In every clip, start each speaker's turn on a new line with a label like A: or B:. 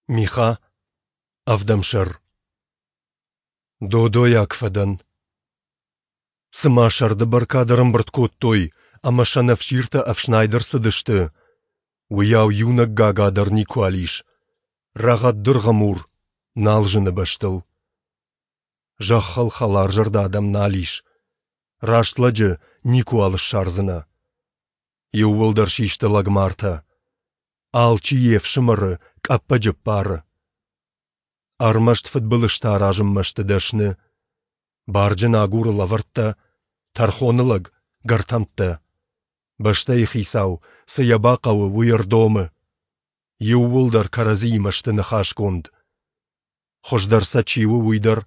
A: Миха, ӕвдӕм сӕр. Додойаг фӕдӕн. Цыма сӕрды бӕркад ӕрӕмбырд кодтой ӕмӕ сӕнӕфсиртӕ ӕфснайд ӕрцыдысты, уыйау иунӕг гага дӕр никуал ис, рӕгъӕд дыргъы мур нал зыны бӕстыл. Зӕххыл хӕларзӕрдӕ адӕм нал ис, раст лӕджы никуал ссардзынӕ. Иууылдӕр систы лӕгмартӕ. Алчи йе фсымӕры къӕппӕджы ппары. Ӕрмӕст фыдбылызтӕ аразынмӕ сты дӕсны. Барджын агуры лӕвӕрттӕ, тӕрхоны лӕг — гӕртӕмттӕ. Бӕстӕйы хицау, цы йӕ бахъӕуы, уый ӕрдомы. Иууылдӕр кӕрӕдзиимӕ сты ныхасгонд. Хуыздӕр сӕ чи у, уый дӕр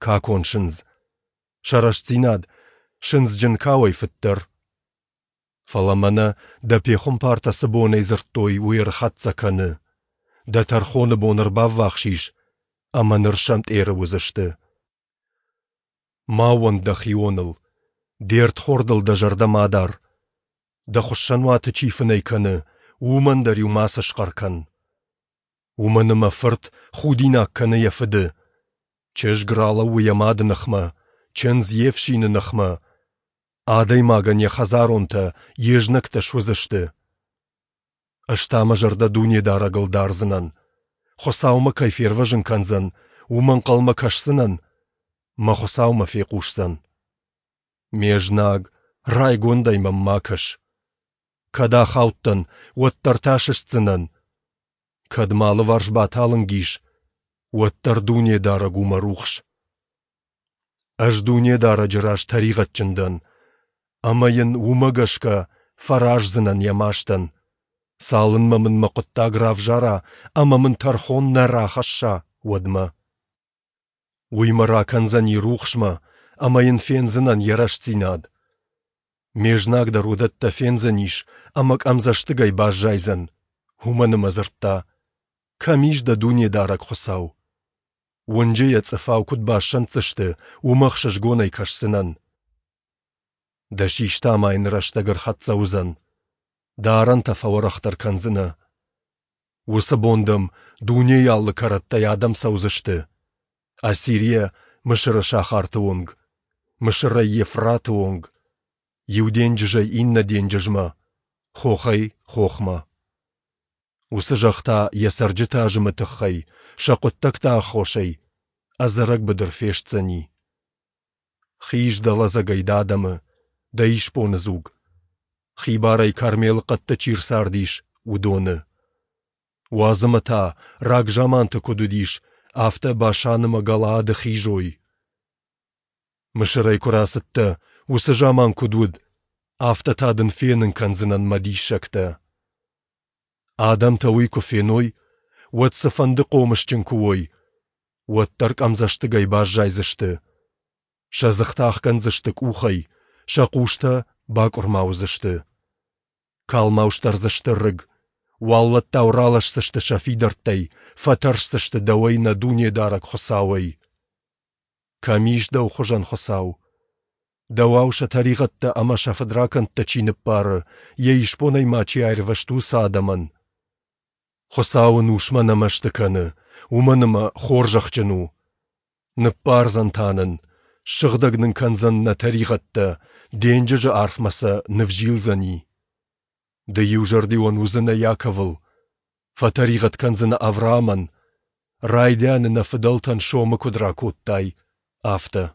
A: какон сындз. Сӕ рӕстдзинад сындзджын кауӕй фыддӕр. Фӕлӕ мӕнӕ дӕ пехуымпартӕ цы бонӕй дзырдтой, уый ӕрхӕццӕ кӕны. Дӕ тӕрхоны бон ӕрбаввахс ис, ӕмӕ ныр сӕмтъеры уыдзысты. Ма ууӕнд дӕхионыл, де рдхордыл дӕ зӕрдӕ ма дар. Дӕ хуыссӕнуаты чи фынӕй кӕны, уымӕн дӕр-иу мацы схъӕр кӕн. Уымӕн ӕмӕ фырт худинаг кӕны йӕ фыды. Чызг ралӕууы йӕ мады ныхмӕ, чындз йе фсины ныхмӕ. Адӕймагӕн йӕ хӕдзаронтӕ йе знӕгтӕ суыдзысты. Ӕз та мӕ зӕрдӕ Дунедарӕгыл дардзынӕн. Хуыцау мӕ кӕй фервӕзын кӕндзӕн, уымӕ ӕнхъӕлмӕ кӕсдзынӕн, мӕ Хуыцау мӕ фехъусдзӕн. Ме знаг, райгондӕй мӕм ма кӕс. Кӕд ахаудтӕн, уӕддӕр та сыстдзынӕн. Кӕд мӕ алыварс баталынг ис, уӕддӕр Дунедарӕг у мӕ рухс. Ӕз Дунедарӕджы раз тӕригъӕдджын дӕн, ӕмӕ йын уымӕ гӕсгӕ фӕраздзынӕн йӕ мастӕн, цалынмӕ мын мӕ хъуыддаг равзара ӕмӕ мын тӕрхон нӕ рахӕсса, уӕдмӕ. Уый мӕ ракӕндзӕни рухсмӕ, ӕмӕ йын фендзынӕн йӕ рӕстдзинад. Ме знаг дӕр уыдӕттӕ фендзӕнис ӕмӕ къӕмдзӕстыгӕй баззайдзӕн, уымӕн ӕмӕ дзырдта: Кӕм ис дӕ Дунедарӕг Хуыцау? Уынджы йӕ цъыфау куыд бассӕнддзысты, уымӕ ӕхсызгонӕй кӕсдзынӕн. Дӕ систӕ амайыны рӕстӕг ӕрхӕццӕ уыдзӕн. Дӕ арӕнтӕ фӕуӕрӕхдӕр кӕндзынӕ. Уыцы бон дӕм дунейы алы кӕрӕттӕй адӕм цӕудзысты. Ассирийӕ Мысыры сахарты онг, Мысырӕй Евфраты онг, иу денджызӕй иннӕ денджызмӕ, хохӕй хохмӕ. Уыцы зӕхх та йӕ цӕрджыты азымы тыххӕй, сӕ хъуыддӕгты аххосӕй, ӕдзӕрӕг быдыр фестдзӕни. Хиз дӕ лӕдзӕгӕй дӕ адӕмы, дӕ исбоны дзуг. Хибарӕй Кармелы хъӕдты чи рцардис, уыдоны. Уадз ӕмӕ та, рагзаманты куыд уыдис, афтӕ Башан ӕмӕ Галаады хизой. Мысырӕй куы рацыдтӕ, уыцы заман куыд уыд, афтӕ та дын фенын кӕндзынӕн мӕ диссӕгтӕ. Адӕмтӕ уый куы феной, уӕд цыфӕнды хъомысджын куы уой, уӕддӕр къӕмдзӕстыгӕй баззайдзысты. Сӕ дзыхтӕ ахгӕндзысты къухӕй, сӕ хъустӕ бакъуырма уыдзысты. Калмау сдӕрдзысты рыг, уаллӕттау ралӕсдзысты сӕ фидӕрттӕй, фӕтӕрсдзысты дӕуӕй нӕ Дунедарӕг Хуыцауӕй. Кӕм ис дӕу хуызӕн Хуыцау? Дӕуау сӕ тӕригъӕдтӕ ӕмӕ сӕ фыдракӕндтӕ чи ныббары, йӕ исбонӕй ма чи аирвӕзт, уыцы адӕмӕн? Хуыцау ын усмӕ нӕ мӕсты кӕны, уымӕн ӕмӕ хорзӕхджын у. Ныббардзӕн та нын, ссыгъдӕг нын кӕндзӕн нӕ тӕригъӕдтӕ, денджызы арфмӕ сӕ нывзилдзӕни. Ды иузӕрдион уыдзынӕ Иаковыл, фӕтӕригъӕд кӕндзынӕ Авраамӕн, райдианы нӕ фыдӕлтӕн сомы куыд ракодтай, афтӕ.